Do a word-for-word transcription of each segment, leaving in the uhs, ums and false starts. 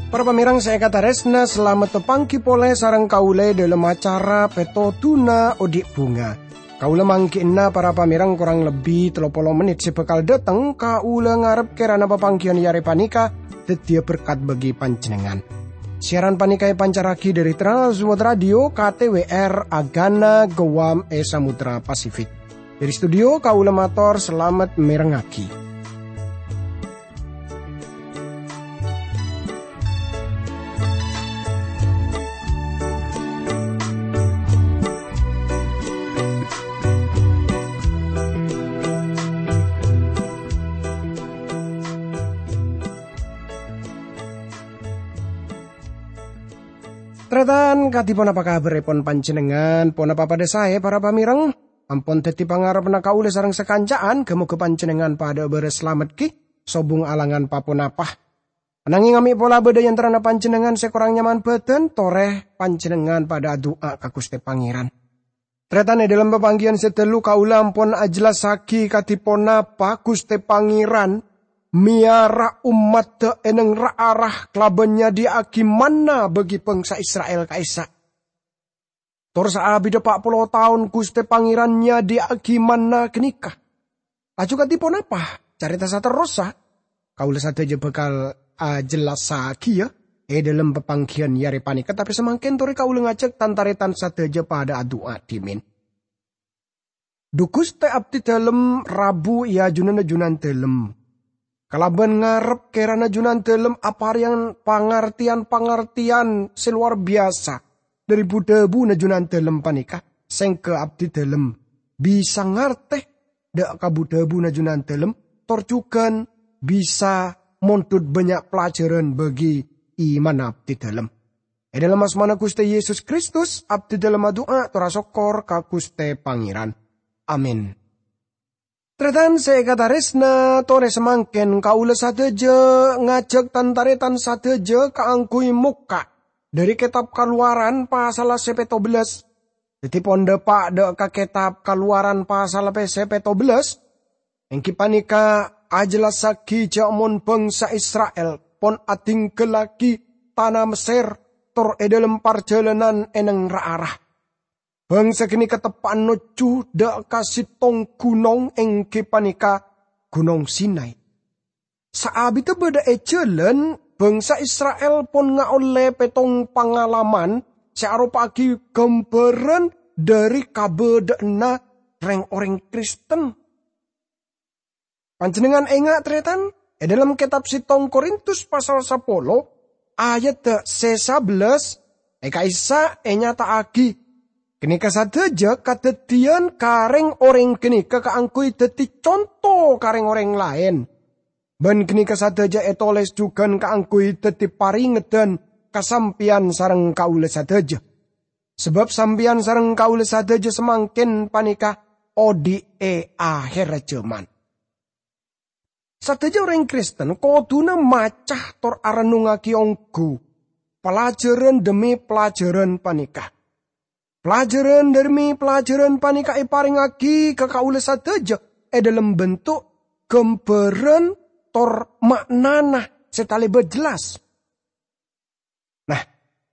Para pamèrèng sè èkatarèsna, salamet papangghi polè sareng kaulâ è dhâlem acara Pètodhuna Odi' Bhunga. Kaulâ mangghi'na para pamèrèng korang lebbi tello polo mennit sè bhâkal dhâteng, kaulâ ngarep kèrana papangghiyân è arè panèka dhâddhiyâ berkat bagi panjhennengngan. Siaran panèka èpancarraghi dhâri Trans World Radio K T W R Agana Guam è Samudra Pasifik. Dhâri studio, kaulâ mator salamet mèrengngaghi. Tarètan, kadhi ponapa kabhârrèpon panjhennengngan? Ponapa padhâ saè, para pamèrèng? Ampon dhâddhi pangarebbhânna kaulâ sareng sakanca'an, ghâ-moghâ panjhennengngan padhâ'â bârâs salamet ghi, sobung alangan pa-ponapa. Ananging amè' pola bâdâ è antarana panjhennengngan sè korang nyaman bhâdhân, torè panjhennengngan padhâ adu'a ka Ghustè Pangèran. Tarètan, è dhâlem papangghiyân sè dhâllu kaulâ ampon ajellassaghi kadhi ponapa Ghustè Pangèran mèyara ommaddhâ è nèng ra-ara kalabân nyadhiyâ'aghi manna bagi bhângsa Isra'il ka'issa'. Tor saabidhâ pa' polo taon Ghustè Pangèran nyadhiyâ'aghi manna ghânèka. Laju kadhi ponapa carèta saterrossa? Kaulâ sadhâjâ bhâkal ajellassaghiyâ è dhâlem papangghiyân è arè panèka, tapè samangkèn torè kaulâ ngajhâk tan-tarètan sadhâjâ padhâ adu'a dhimèn. Dhu Ghustè, abdhi dhâlem rabu è ajunanna Junandhâlem. Kalabân ngarep kèrana Junandhâlem aparèyang pangartèyan-pangartèyan sè lowar biyasa dhâri bu-dhâbuna Junandhâlem panèka, sèngghâ abdhi dhâlem bisa ngartè dhâ' ka bu-dhâbuna Junandhâlem, tor jhughân bisa mondhut bânnya' pelajaran bagi imanna abdhi dhâlem. È dhâlem asmana Ghustè Yesus Kristus, abdhi dhâlem adu'a tor asokkor ka Ghustè Pangèran. Amin. Tarètan sè èkatarèsna, torè samangkèn kaulâ sadhâjâ ngajhâk tan-tarètan sadhâjâ kaangghuy mokka' dhâri Kètab Kalowaran pasal sè pètto bellâs. Dhâddhi pon dhâpa' dhâ' ka Kètab Kalowaran pasal pè-, sè pètto bellâs, èngghi panèka ajellassaghi jhâ' mon bhângsa Isra'il pon adhingghâllaghi tana Messèr tor è dhâlem parjhâlânan è nèng ra-ara. Bhângsa ghânèka teppa'an nojjhu dhâ' ka sèttong ghunong, èngghi panèka Ghunong Sinai. Saabidhâ bâdâ è jhâlân, bhângsa Isra'il pon ngaollè pèttong pangalaman sè aropa'aghi ghâmbhârân dhâri kabâdâ'ânna rèng-orèng Kristen. Panjhennengngan enga', tarètan? È dhâlem kètab sèttong Korintus pasal sapolo, ayadda sè sabellâs, è ka'issa' ènyata'aghi, "Ghânèka sadhâjâ kadhâddhiyân ka rèng-orèng ghânèka kaangghuy dhâddhi conto ka rèng-orèng laèn. Bân ghânèka sadhâjâ ètolès jhughân kaangghuy dhâddhi parèngeddhân ka sampèyan sareng kaulâ sadhâjâ. Sabâb sampèyan sareng kaulâ sadhâjâ samangkèn panèka odi' è ahèrra jhâman." Sadhâjâ orèng Kristen kodhuna maca tor arennungngaghi ongghu pelajaran dhemmi pelajaran panèka. Pelajaran dhemmi pelajaran panèka èparèngngaghi ka kaulâ sadhâjâ è dhâlem bentuk ghâmbhârân tor ma'nana sè talèbât jelas. Nah,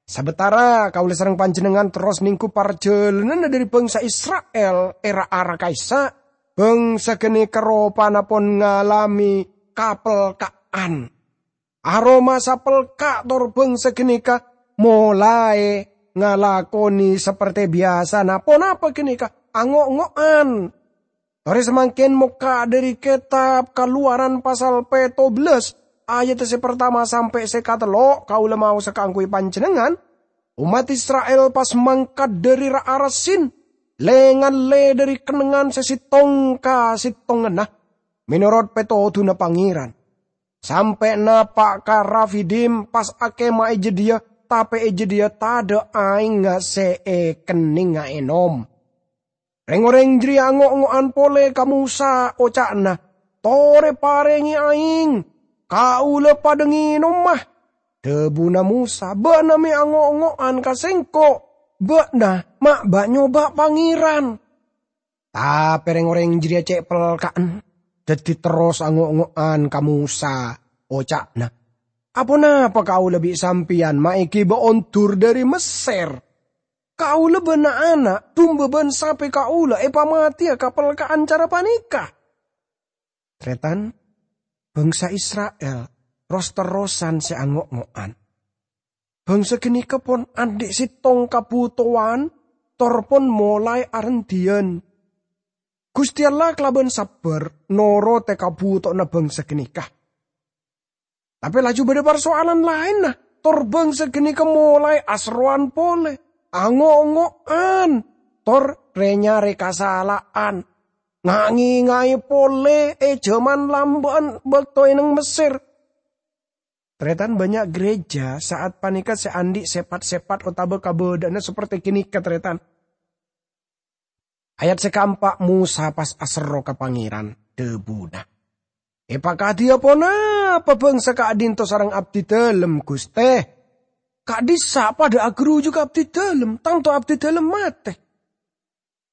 sabâtara kaulâ sareng panjhennengngan terros nèngghu parjhâlânanna dhâri bhângsa Isra'il è ra-ara ka'issa', bhângsa ghânèka ropana pon ngalamè kapelka'an. Aromasa pelka' tor bhângsa ghânèka molaè ngalakonè saperte biyasana ponapa ghânèka ango'-ngo'an. Torè samangkèn mokka' dhâri Kètab Kalowaran pasal pètto bellâs, ayadda sè partama sampè' sè katello', kaulâ maosa kaangghuy panjhennengngan. Ommat Isra'il pas mangkat dhâri ra-ara Sin, lè-ngallè dhâri kennengngan sè sèttong ka sèttongnganna, mènorot pètodhuna Pangèran. Sampè' napa' ka Rafidim, pas akèma è jâdiyâ, tapè è jâdiyâ tadâ' aèngnga sè èkennengnga ènom. Rèng-orèng jârèya ango'-ngo'an polè ka Mosa, oca'na, "Torè parèngè aèng, kaulâ padâ ngènomma." Dhâbuna Mosa, "Bâ'na mè' ango'-ngo'an ka sèngko', bâ'na ma' bâ'-nyoba' Pangèran." Tapè rèng-orèng jârèya cè' pelka'an, dhâddhi terros ango'-ngo'an ka Mosa, oca'na, "Aponapa kaulâ bi' sampèyan ma' èghibâ ondur dhâri Messèr? Kaulâ bân na'-ana', dumba bân sapè kaulâ èpamatèya ka pelka'an cara panèka?" Tarètan, bhângsa Isra'il ros-terrosan sè ango'-ngo'an. Bhângsa ghânèka pon andi' sèttong kabhutowan, tor pon molaè arendhiyân. Ghustè Allah kalabân sabbhâr norotè kabhutowanna bhângsa ghânèka. Tapè laju bâdâ parsoalan laènna, tor bhângsa ghânèka molaè aserrowan polè, ango'-ngo'an, tor rè-nyarè kasala'an, nga'-ngènga'è polè è jhâman lambâ'ân bâkto è neng Messèr. Tarètan, bânnya' ghârèjâ sa'at panèka sè andi' sèpat-sèpat otabâ kabâdâ'ânna saperti ghânèka, tarètan. Ayat sè kaempa', Mosa pas aserro ka Pangèran, dhâbuna, "Èpakadhiyâ ponapa bhângsa ka'dinto sareng abdidâlem, Ghustè? Ka'dissa' padâ aghâruju ka abdidâlem, tanto abdidâlem matè."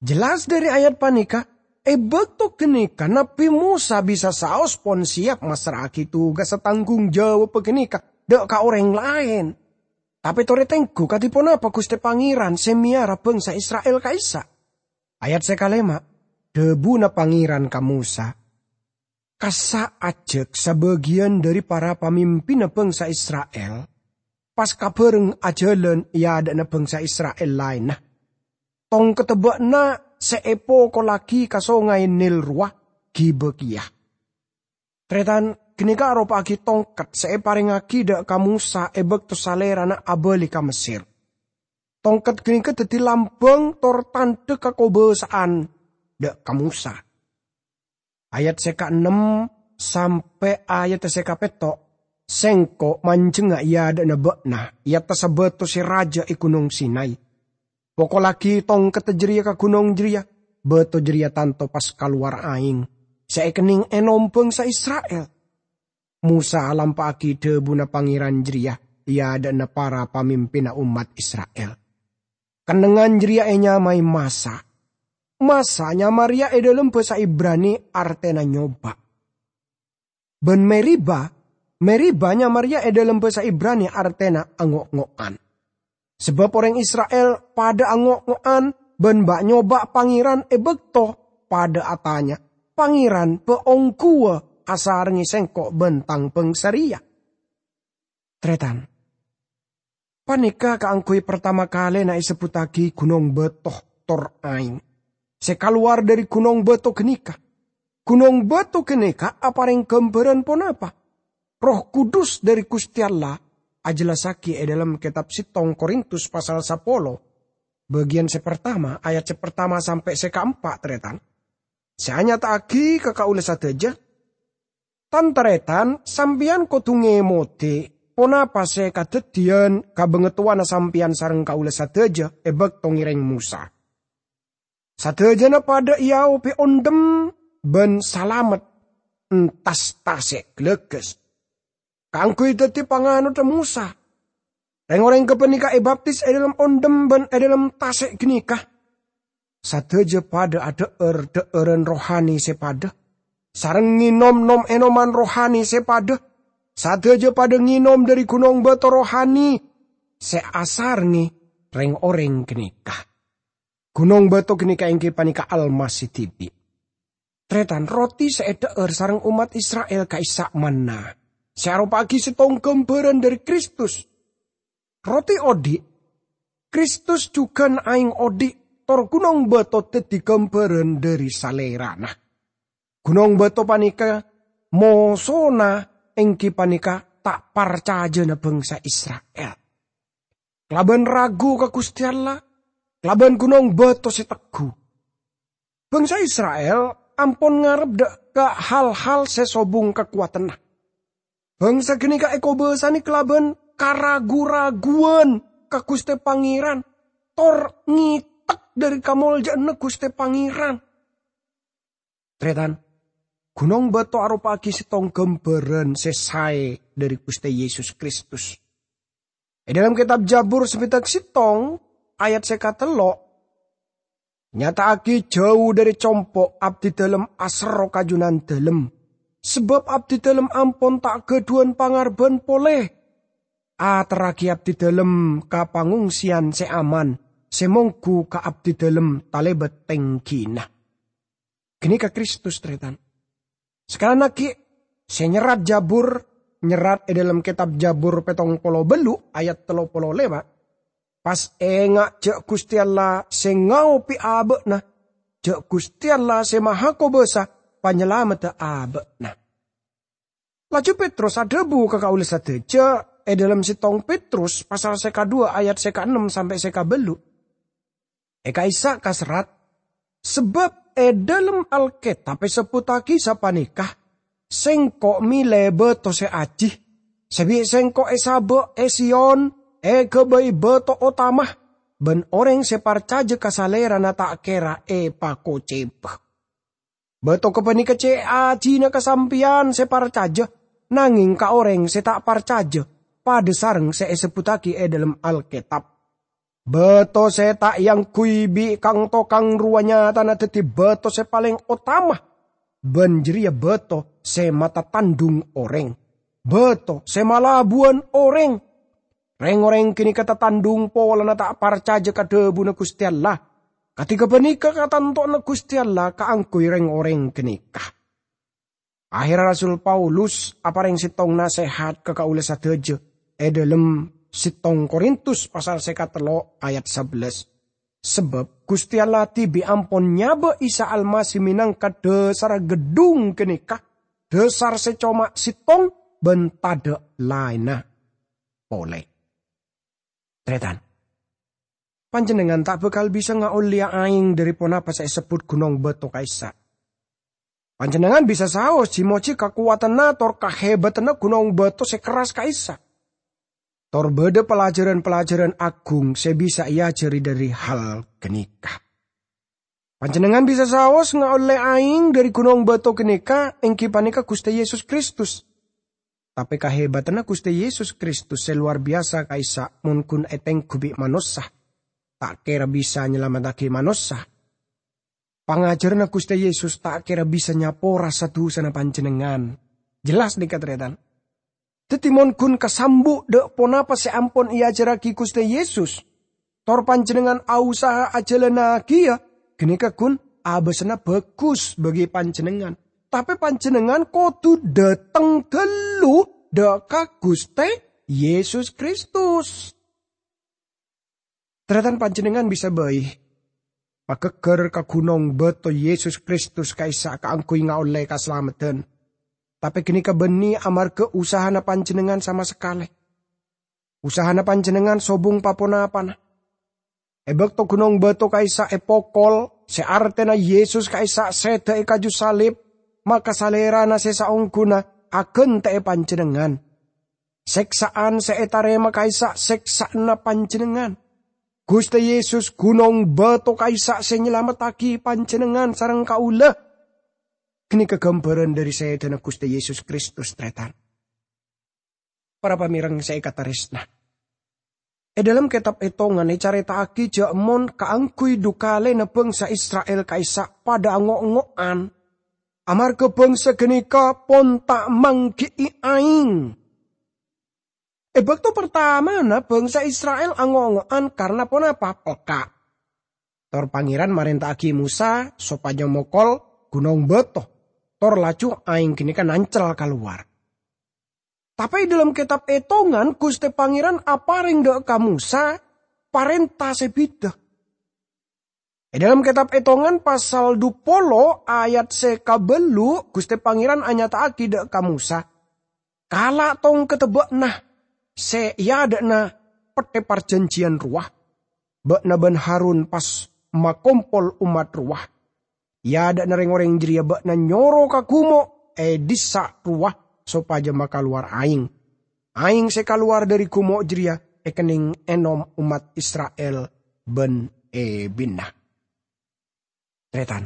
Jelas dhâri ayat panèka, è bâkto ghânèka Nabbhi Mosa bisa saos pon sèyap massra'aghi tugassa tanggung jawabbhâ ghânèka dâ' ka orèng laèn. Tapè torè tengghu kadhi ponapa Ghustè Pangèran sè mèyara bhângsa Isra'il ka'issa'? Ayat sè kalèma', dhâbuna Pangèran ka Mosa, "Kassa' ajhâk sabâgiyân dhâri para pamimpinna bhângsa Isra'il pas kabhâreng ajhâlân è adâ'na bhângsa Isra'il laènna, tongkedda bâ'na sè èpokollaghi ka Songay Nil rowa ghibâ kèya." Tarètan, ghânèka aropa'aghi tongket sè èparèngaghi dâ' ka Mosa è bâkto salèrana abâli ka Messèr. Tongket ghânèka dhâddhi lambâng tor tandhâ kakobâsa'an dâ' ka Mosa. Ayat sè kaennem sampè' ayat sè kapètto', "Sèngko' manjhengnga è adâ'na bâ'na è attassa bâto sè rajâ è Ghunong Sinay. Pokollaghi tongkedda jârèya ka ghunong jârèya, bâto jârèya tanto pas kalowar aèng sè èkennèng ènom bhângsa Isra'il." Mosa alampa'aghi dhâbuna Pangèran jârèya è adâ'na para pamimpinna ommat Isra'il. Kennengngan jârèya ènyamaè Masa. Masa nyama rèya è dâlem bhâsa Ibrani artèna nyoba. Bân Meriba, Meriba nyama rèya è dâlem bhâsa Ibrani artèna ango'-ngo'an. Sabâb orèng Isra'il padâ ango'-ngo'an bân bâ'-nyoba' Pangèran è bâkto padâ atanya, "Pangèran bâ' ongghuwâ asarengngè sèngko' bân tang bhângsa rèya?" Tarètan, panèka kaangghuy partama kalèna èsebbhuttaghi ghunong bâto tor aèng sè kalowar dhâri ghunong bâto ghânèka. Ghunong bâto ghânèka aparèng ghâmbhârân ponapa? Erroh Kudus dhâri Ghustè Allah ajellassaghi è dâlem kètab sèttong Korintus pasal sapolo, bâgiyân sè partama, ayat sè partama sampè' sè kaempa', tarètan. Sè anyata'aghi ka kaulâ sadhâjâ, tan-tarètan, sampèyan kodhu ngèmodhi ponapa sè kadhâddhiyân ka bângatowana sampèyan sareng kaulâ sadhâjâ è bâkto ngèrèng Mosa. Sadhâjâna padâ èaobhi ondhem bân salamet entas tasè' ghâlâghâs, kaangghuy dhâddhi panganodhâ Mosa. Rèng-orèng ghâpanèka èbaptis è dâlem ondhem bân è dâlem tasè' ghânèka. Sadhâjâ padâ adhâ'âr dhâ'ârân rohani sè padâ, sareng ngènom nom-ènoman rohani sè padâ. Sadhâjâ padâ ngènom dhâri ghunong bâto rohani sè asarengngè rèng-orèng ghânèka. Ghunong bâto ghânèka èngghi panèka Almasih dhibi'. Tarètan, roti sè èdhâ'âr sareng ommat Isra'il ka'issa' manna, sè aropa'aghi sèttong ghâmbhârân dhâri Kristus. Roti odi', Kristus jhughân aèng odi', tor ghunong bâto dhâddhi ghâmbhârân dhâri Salèrana. Ghunong bâto panèka mosona èngghi panèka ta' parcajâna bhângsa Isra'il. Kalabân ragu ka Ghustè Allah, kalabân ghunong bâto sè tegghu. Bhângsa Isra'il ampon ngarep dâ' ka hal-hal sè sobung kakowadhânna. Bhângsa ghânèka èkobâsanè kalabân karagu-raguwân ka Ghustè Pangèran, tor ngètek dhâri kamoljâ'ânna Ghustè Pangèran. Tarètan, ghunong bâto aropa'aghi sèttong ghâmbhârân sè saè dhâri Ghustè Yesus Kristus. È dhâlem kètab Jabur sè bhidhâk sèttong, ayat sè katello', nyata'aghi jhâu dhâri compo' abdhidhâlem aserro ka Junandhâlem, sabâb abdhidhâlem ampon ta' ghâdhuwân pangarebbhân polè. Aterraghi abdhidhâlem ka pangongseyan sè aman, sè mongghu ka abdhidhâlem talèbât tèngghina. Ghânèka Kristus, tarètan. Sakalèyan aghi', sè nyerrat Jabur, nyerrat è dhâlem kètab Jabur pèttong polo bâllu' ayat tello polo lèma', pas enga' jâ' Ghustè Allah sè ngaobi abâ'na, jâ' Ghustè Allah sè Mahakobâsa Panyalameddhâ abâ'na. Laju Petrus adhâbu ka kaulâ sadhâjâ è dhâlem sèttong Petrus pasal sè kadhuwâ ayat sè kaennem sampè' sè kabâllu'. È ka'issa' kaserrat, sabâb è dhâlem Alkètab èsebbhuttaghi sapanèka, "Sèngko' mèlè bâto sè ajhi, sè bi' Sèngko' èsabâ' è Sion èghâbây bâto otama, bân orèng sè parcajâ ka Salèrana ta' kèra èpakocèbâ." Bâto ghâpanèka cè' ajhina ka sampèyan sè parcajâ, nangèng ka orèng sè ta' parcajâ, padâ sareng sè èsebbhuttaghi è dhâlem Alkètab. Bâto sè ta' èangghuy bi' kang-tokang rowa nyatana dhâddhi bâto sè palèng otama, bân jârèya bâto sè matatandhung orèng, bâto sè malabuwân orèng. Rèng-orèng ghânèka tatandhung polana ta' parcajâ ka dhâbuna Ghustè Allah. Kadhi ghâpanèka katantowanna Ghustè Allah kaangghuy rèng-orèng ghânèka. Aherra Rasul Paulus aparèng sèttong nasèhat ka kaulâ sadhâjâ è dhâlem sèttong Korintus pasal sè katello' ayat sabellâs. Sabâb Ghustè Allah dhibi' ampon nyabâ' Isa Almasih mènangka dhâsarra gheddhung ghânèka, dhâsar sè coma sèttong bân tadâ' laènna polè. Tarètan, panjhennengngan ta' bhâkal bisa ngaollèya aèng dhâri ponapa sè èsebbhut ghunong bâto ka'issa'. Panjhennengngan bisa saos jhi-mojhi kakowadhânna tor kahèbâdhânna ghunong bâto sè kerras ka'issa'. Tor bâdâ pelajaran-pelajaran aghung sè bisa èajhâri dhâri hal ghânèka. Panjhennengngan bisa saos ngaollè aèng dhâri ghunong bâto ghânèka èngghi panèka Ghustè Yesus Kristus. Tapè kahèbâdhânna Ghustè Yesus Kristus sè lowar biyasa ka'issa' mon ghun ètengghu bi' manossa, ta' kèra bisa nyalameddhâghi manossa. Pangajhârânna Ghustè Yesus ta' kèra bisa nyapora sa-dusana panjhennengngan. Jelas nèka, tarètan? Dhâddhi, mon ghun kasambu' dâ' ponapa sè ampon èajhârraghi Ghustè Yesus, tor panjhennengngan ausaha ajhâlânnagiyâ, ghânèka ghun abâsanna bhâghus bagi panjhennengngan. Tapè panjhennengngan kodhu dâteng ghâllu dâ' ka Ghustè Yesus Kristus. Tarètan, panjhennengngan bisa bhâi maghâggâr ka ghunong bâto Yesus Kristus ka'issa' kaangghuy ngaollè kasalameddhân. Tapè ghânèka bânnè amarghâ usahana panjhennengngan sama sakalè. Usahana panjhennengngan sobung pa-ponapana. È bâkto ghunong bâto ka'issa' èpokol, sè artèna Yesus ka'issa' sèdhâ è kaju salib, maka Salèrana sè saongghuna aghântè'è panjhennengngan. Sèksa'an sè ètarèma ka'issa' sèksa'anna panjhennengngan. Ghustè Yesus ghunong bâto ka'issa' sè nyalameddhâghi panjhennengngan sareng kaulâ. Ghânèka ghâmbhârân dhâri sèdhâna Ghustè Yesus Kristus, tarètan. Para pamèreng sè èkatarèsna. È dhâlem kètab Ètongan ècarèta'aghi jâ' mon kaangghuy dhu kalèna bhângsa Isra'il ka'issa' padâ ango'-ngo'an, amarghâ bhângsa ghânèka pon ta' mangghi'i aèng. È bâkto partamana bhângsa Isra'il ango'-ngo'an karna ponapa? Pelka'. Tor Pangèran marènta'aghi Mosa sopajâ mokol ghunong bâto, tor laju aèng ghânèka nancel kalowar. Tapè è dhâlem kètab Ètongan, Ghustè Pangèran aparèng dâ' ka Mosa parènta sè bhidhâ. È dhâlem kètab Ètongan pasal dhu polo ayat sè kabâllu', Ghustè Pangèran anyata'aghi dâ' ka Mosa, "Kala' tongkedda bâ'na sè è adâ'na pettè parjhânjhiyân rowa. Bâ'na bân Harun pas makompol ommat rowa. È adâ'na rèng-orèng jârèya bâ'na nyoro ka gumo' è dhissa' rowa sopajâ makalowar aèng. Aèng sè kalowar dhâri gumo' jârèya èkennèng ènom ommat Isra'il bân èbinna." Tarètan,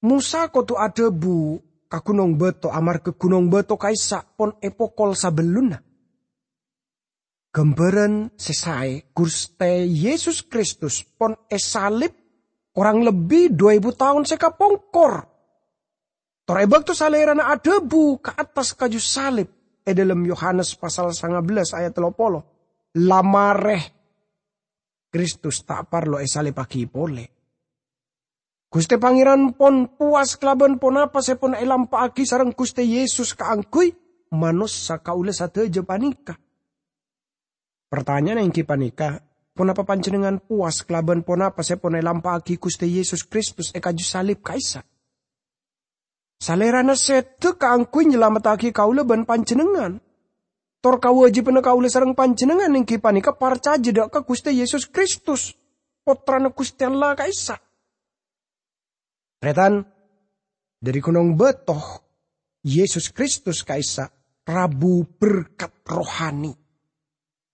Mosa kodhu adhâbu ka ghunong bâto amarghâ ghunong bâto ka'issa' pon èpokol sabellunna. Ghâmbhârân sè saè, Ghustè Yesus Kristus pon èsalib korang lebbi du èbu taon sè kapongkor. Tor è bâkto Salèrana adhâbu ka attas kaju salib è dhâlem Yohanes pasal sanga bellâs ayat tello polo, "La marè Kristus ta' parlo èsalibbhâghi polè." Ghustè Pangèran pon powas kalabân ponapa sè pon èlampa'aghi sareng Ghustè Yesus kaangghuy manossa kaulâ sadhâjâ panèka. Partanya'anna èngghi panèka, ponapa panjhennengngan powas kalabân ponapa sè pon èlampa'aghi Ghustè Yesus Kristus è kaju salib ka'issa'? Salèrana sèdhâ kaangghuy nyalamettaghi kaulâ bân panjhennengngan. Tor kawâjibhânna kaulâ sareng panjhennengngan èngghi panèka parcajâ dhâ' ka Ghustè Yesus Kristus, Pottrana Ghustè Allah ka'issa'. Tarètan, dhâri ghunong bâto, Yesus Kristus ka'issa' rabu berkat rohani.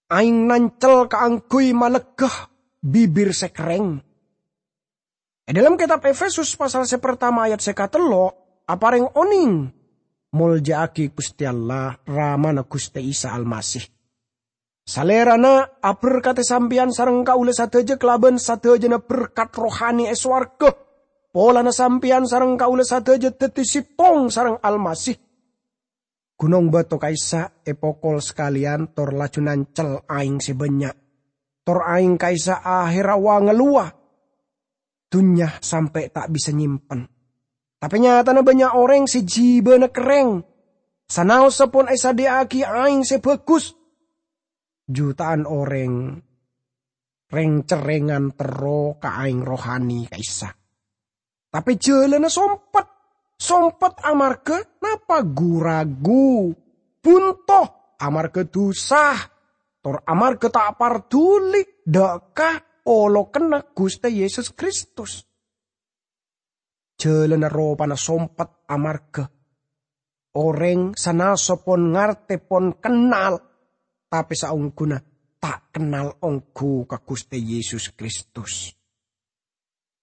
Aèng nancel kaangghuy malegghâ bibir sè kerrèng. È dhâlem kètab Efesus pasal sè partama ayat sè katello' aparèng onèng molja'aghi Ghustè Allah, Ramana Ghustè Isa Almasih. Salèrana aberkadhi sampèyan sareng kaulâ sadhâjâ kalabân sadhâjâna berkat rohani è sowarghâ, polana sampèyan sareng kaulâ sadhâjâ dhâddhi sèttong sareng Almasih. Ghunong bâto ka'issa' èpokol sakalèyan tor laju nancel aèng sè bânnya'. Tor aèng ka'issa' ahèrra wa-ngalowa. Dhunnya sampè' ta' bisa nyèmpen. Tapè nyatana bânnya' orèng sè jibâna kerrèng. Sanaossa pon èsadhiyâ'aghi aèng sè bhâghus. Juta'an orèng rèng-cerrèngan terro ka aèng rohani ka'issa'. Tapè jhâlânna sompet. Sompet amarghâ napa? Gu-ragu, bunto, amarghâ dhusa, tor amarghâ ta' parduli dhâ' ka olokanna Ghustè Yesus Kristus. Jhâlânna ropana sompet amarghâ orèng sanaossa pon ngartè pon kennal, tapè saongghuna ta' kennal ongghu ka Ghustè Yesus Kristus.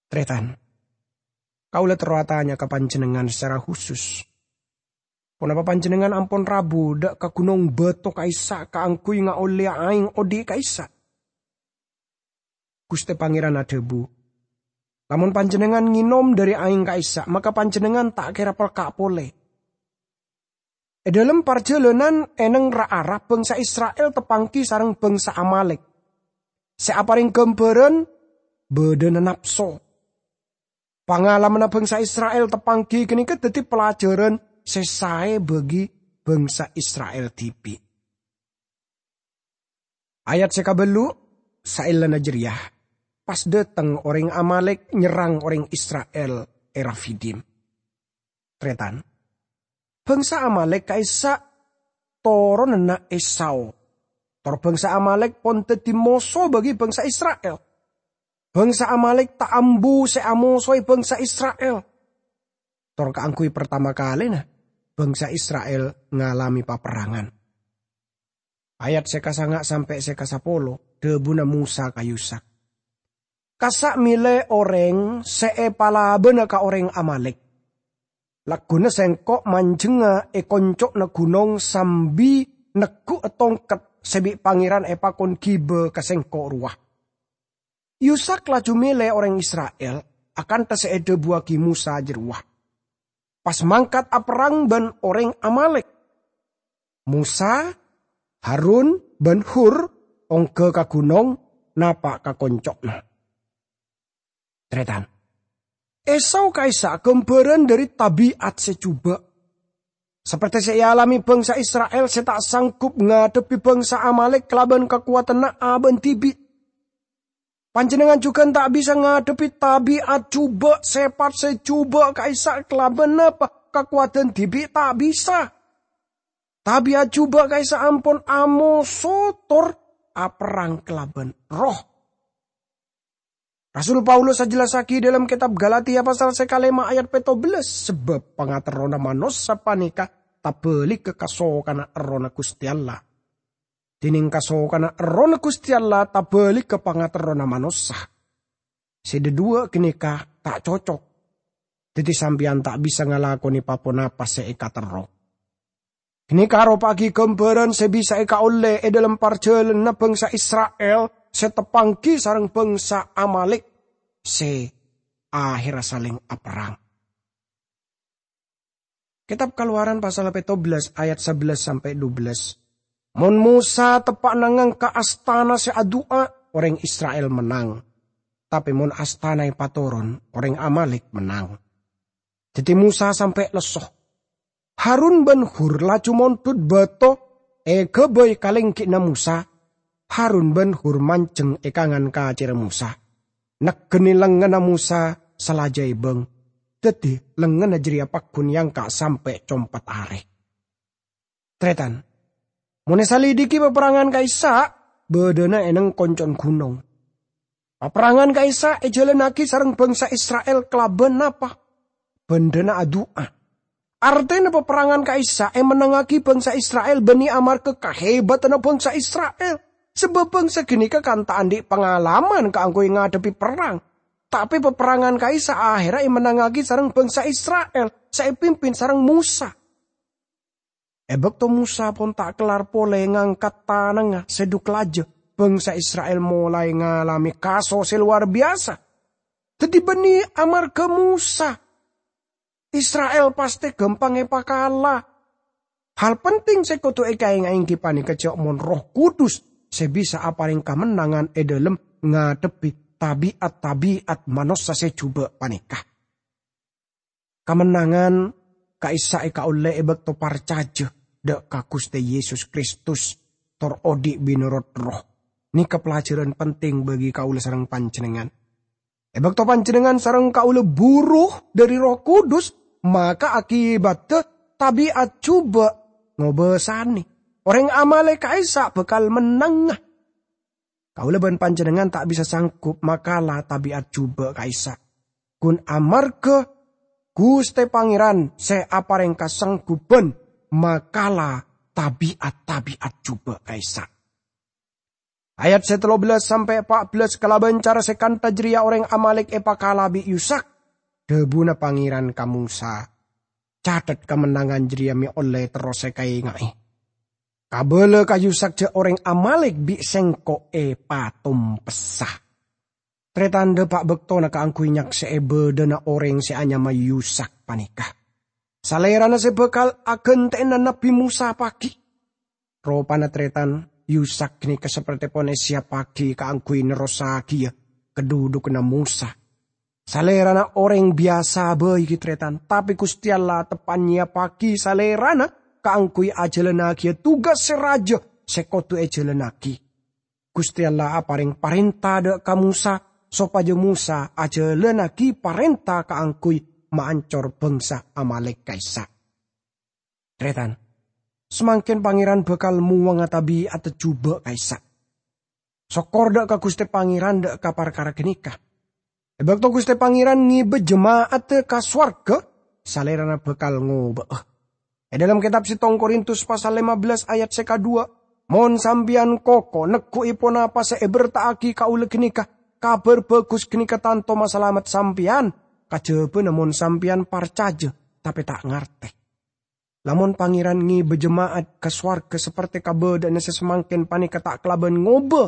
Tarètan, kaulâ terro atanya ka panjhennengngan secara khusus. Ponapa panjhennengngan ampon rabu dhâ' ka ghunong bâto ka'issa' kaangghuy ngaollèya aèng odi' ka'issa'? Ghustè Pangèran adhâbu, "Lamon panjhennengngan ngènom dhâri aèng ka'issa', maka panjhennengngan ta' kèra pelka' polè." È dhâlem parjhâlânan è neng ra-ara bhângsa Isra'il tapanggi sareng bhângsa Amalek, sè aparèng ghâmbhârân bâdâna napso. Pangalamanna bhângsa Isra'il tapanggi ghânèka dhâddhi pelajaran sè saè bagi bhângsa Isra'il dhibi'. Ayat sè kabâllu', saellana jârèya, pas dâteng orèng Amalek nyerrang orèng Isra'il è Rafidim. Tarètan, bhângsa Amalek ka'issa' toronanna Esau. Tor bhângsa Amalek pon dhâddhi moso bagi bhângsa Isra'il. Bhângsa Amalek ta' ambu sè amosoè bhângsa Isra'il. Tor kaangghuy partama kalèna, bhângsa Isra'il ngalamè paperrangan. Ayat sè kasanga' sampè' sè kasapolo, dhâbuna Mosa ka Yusak, "Kassa' mèlè orèng sè èpalabâna ka orèng Amalek. Lagghuna sèngko' manjhengnga è konco'na ghunong sambi neggu'a tongket sè bi' Pangèran èpakon ghibâ ka sèngko' rowa." Yusak laju mèlè orèng Isra'il akantha sè èdhâbuwaghi Mosa jârowa, pas mangkat aperrang bân orèng Amalek. Mosa, Harun, bân Hur ongghâ ka ghunong napa' ka konco'na. Tarètan, Esau ka'issa' ghâmbhârân dhâri tabi'at sè jhubâ'. Saperte sè èalamè bhângsa Isra'il sè ta' sanggup ngadhebbhi bhângsa Amalek kalabân kakowadhânna abâ'na dhibi'. Panjhennengngan jhughân ta' bisa ngadhebbhi tabi'at jhubâ', sèpat sè jhubâ' ka'issa' kalabân napa? Kakowadhân dhibi' ta' bisa. Tabi'at jhubâ' ka'issa' ampon amoso tor aperrang kalabân Erroh. Rasul Paulus ajhellassaghi dhâlem kètab Galatia pasal sè kalèma' ayat pètto bellâs, sabâb pangaterrona manossa panèka tabâligghâ kasokanna Errohna Ghustè Allah. Dhinèng kasokanna Errohna Ghustè Allah tabâligghâ pangaterrona manossa. Sè dhâduwâ' ghânèka ta' cocok. Dhâddhi sampèyan ta' bisa ngalakonè pa-ponapa sè èkaterro. Ghânèka aropa'aghi ghâmbhârân sè bisa èkaollè è dhâlem parjhâlânanna bhângsa Isra'il sè teppangghi sareng bhângsa Amalek sè aherra salèng aperrang. Kètab Kalowaran pasal pètto bellâs ayat sabellâs sampè' dubellâs. Mon Mosa teppa'na ngangka' astana sè adu'a, orèng Isra'il mennang. Tapè mon astana èpatoron, orèng Amalek mennang. Dhâddhi Mosa sampè' lesso. Harun bân Hur laju mondhut bâto èghâbây ka lènggi'na Mosa. Harun bân Hur manjheng è kangan kacèrra Mosa. Negghâna lengnganna Mosa salaja èbâng. Dhâddhi, lengnganna jârèya pagghun èangka' sampè' compet arè. Tarètan, mon èsalidiki paperrangan ka'issa', bâdâna è neng konco'na ghunong. Paperrangan ka'issa' èjhâlânnaghi sareng bhângsa Isra'il kalabân napa? Bhândhâna adu'a. Artèna paperrangan ka'issa' èmennangngaghi bhângsa Isra'il bânnè amarghâ kahèbhâtanna bhângsa Isra'il. Sabâb bhângsa ghânèka kan ta' andi' pangalaman kaangghuy ngadhebbhi perrang. Tapè paperrangan ka'issa' aherra èmennangngaghi sareng bhângsa Isra'il sè èpimpin sareng Mosa. È bâkto Mosa pon ta' kellar polè ngangkat tanangnga sè dhu-, kalajâ, bhângsa Isra'il molaè ngalamè kaso sè lowar biyasa. Dhâddhi bânnè amarghâ Mosa, Isra'il pastè ghâmpang èpakala. Hal penting sè kodhu èkaènga'è èngghi panèka jhâ' mon Erroh Kudus sè bisa aparèng kamennangan è dhâlem ngadhebbhi tabi'at-tabi'at manossa sè jhubâ' panèka. Kamennangan ka'issa' èkaollè è bâkto parcajâ dâ' ka Ghustè Yesus Kristus tor odi' mènorot Erroh. Nèka pelajaran penting bagi kaulâ sareng panjhennengngan. È bâkto panjhennengngan sareng kaulâ buru dhâri Erroh Kudus, maka akibatta tabi'at jhubâ' ngobâsanè. Orèng Amalek ka'issa' bhâkal mennang. Kaulâ bân panjhennengngan ta' bisa sanggup makala tabi'at jhubâ' ka'issa'. Ghun amarghâ Ghustè Pangèran sè aparèng kasanggubbhân makala tabi'at-tabi'at jhubâ' ka'issa'. Ayat sè tello bellâs sampè' pa' bellâs kalabân cara sè kantha jârèya orèng Amalek èpakala bi' Yusak. Dhâbuna Pangèran ka Mosa, "Catet kamennangan jârèya mè' ollè terros èkaènga'è. Kabâlâ ka Yusak jhâ' orèng Amalek bi' sèngko' èpatompessa." Tarètan, dâpa' bâktona kaangghuy nyaksè'è bâdâna orèng sè anyama Yusak panèka. Salèrana sè bhâkal aghântè'ana Nabbhi Mosa paghi. Ropana tarètan, Yusak ghânèka saperte pon èsiyappaghi kaangghuy nerrossaghiyâ kadhudhuganna Mosa. Salèrana orèng biyasa bhâi ghi' tarètan, tapè Ghustè Allah teppa' nyiyappaghi salèrana kaangghuy ajhâlânnagiyâ tugas sè rajâ sè kodhu èjhâlânnaghi. Ghustè Allah aparèng parènta dâ' ka Mosa sopajâ Mosa ajhâlânnaghi parènta kaangghuy maancor bhângsa Amalek ka'issa'. Tarètan, samangkèn Pangèran bhâkal mowangnga tabi'atta jhubâ' ka'issa'. Sokkor dâ' ka Ghustè Pangèran dâ' ka parkara ghânèka. È bâkto Ghustè Pangèran ngèbâ jema'adda ka sowarghâ, Salèrana bhâkal ngobâ'â. È dhâlem kètab Settong Korintus pasal lèma bellâs ayat sè kadhuwâ', "Mon sampèyan koko negghu'i ponapa sè èberta'aghi kaulâ ghânèka, Kabhâr Bhâghus ghânèka tanto masalamet sampèyan, kajhâbhâna mon sampèyan parcajâ, tapè ta' ngartè." Lamon Pangèran ngèbâ jema'at ka sowarghâ saperte kabâdâ'ânna sè samangkèn panèka ta' kalabân ngobâ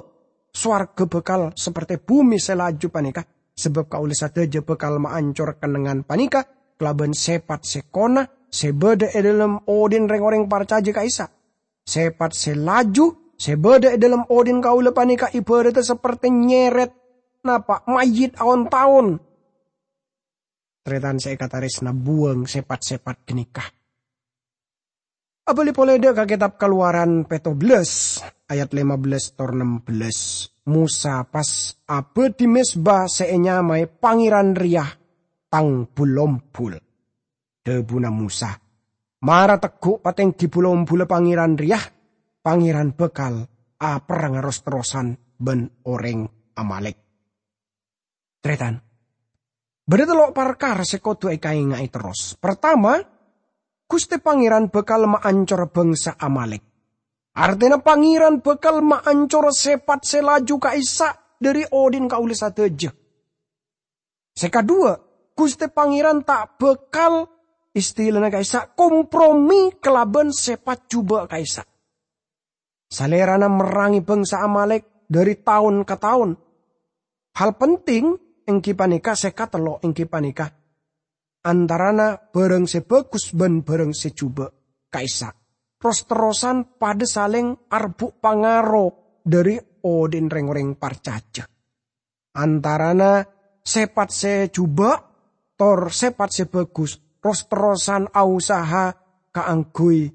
sowarghâ bhâkal saperte bhumè sè laju panèka, sabâb kaulâ sadhâjâ bhâkal maancor kennengngan panèka kalabân sèpat sè kona sè bâdâ è dhâlem odhi'na rèng-orèng parcajâ ka'issa'. Sèpat sè laju sè bâdâ è dhâlem odhi'na kaulâ panèka èbhârâddhâ saperte nyèrèt napa' mayyit aon-taon. Tarètan sè èkatarèsna, buwâng sèpat-sèpat ghânèka. Abâli polè dâ' ka Kètab Kalowaran pètto bellâs, ayat lèma bellâs tor nem bellâs. Mosa pas abâdhi mezba sè ènyamaè "Pangèran rèya tang bul-ombul." Dhâbuna Mosa, "Mara tegghu' patèngghi bul-ombulla Pangèran rèya, Pangèran bhâkal aperrang ros-terrosan bân orèng Amalek." Tarètan, bâdâ tello' parkara sè kodhu èkaènga'è terros. Partama, Ghustè Pangèran bhâkal maancora bhângsa Amalek. Artèna Pangèran bhâkal maancora sèpat sè laju ka'issa' dhâri odhi'na kaulâ sadhâjâ. Sè kadhuwâ, Ghustè Pangèran ta' bhâkal istilana ka'issa' kompromi kalaban sèpat jhubâ' ka'issa'. Salèrana merrangè bhângsa Amalek dhâri taon ka taon. Hal penting èngghi panèka sè katello' èngghi panèka antarana bhârâng sè bhâghus bân bhârâng sè jhubâ' ka'issa' ros-terrosan padâ salèng arebbhu' pangaro dhâri odi'na rèng-orèng parcajâ. Antarana sèpat sè jhubâ' tor sèpat sè bhâghus ros-terrosan ausaha kaangghuy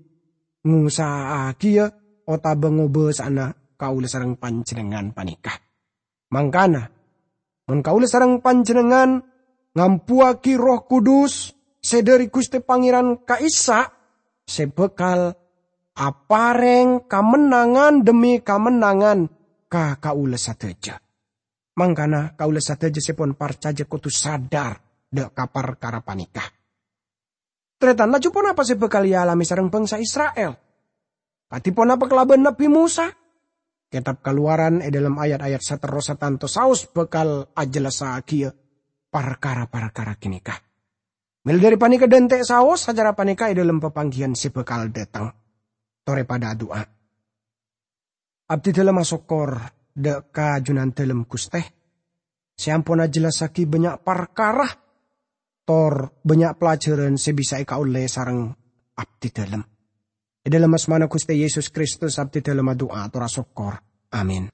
ngusaha'aghiyâ otabâ ngobâsa'ana kaulâ sareng panjhennengngan panèka. Mangkana, mon kaulâ sareng panjhennengngan ngambuwâghi Erroh Kudus sè dhâri Ghustè Pangèran ka'issa' sè bhâkal aparèng kamennangan dhemmi kamennangan ka kaulâ sadhâjâ. Mangkana kaulâ sadhâjâ sè pon parcajâ kodhu sadhâr dhâ' ka parkara panèka. Tarètan, laju ponapa sè bhâkal èalamè sareng bhângsa Isra'il? Kadhi ponapa kalabân Nabbhi Mosa? Kètab Kalowaran è dhâlem ayat-ayat saterrossa tanto saos bhâkal ajhellassaghiyâ parkara-parkara ghânèka. Mèla dhâri panèka dhânte' saos acara panèka è dhâlem papangghiyân sè bhâkal dhâteng. Torè padâ adu'a. Abdidhâlem asokkor dhâ' ka Junandhâlem Ghustè, sè ampon ajhellassaghi bânnya' parkara, tor bânnya' pelajaran sè bisa èkaollè sareng abdidhâlem. È dhâlem asmana Ghustè Yesus Kristus abdidhâlem adu'a tor asokkor. Amin.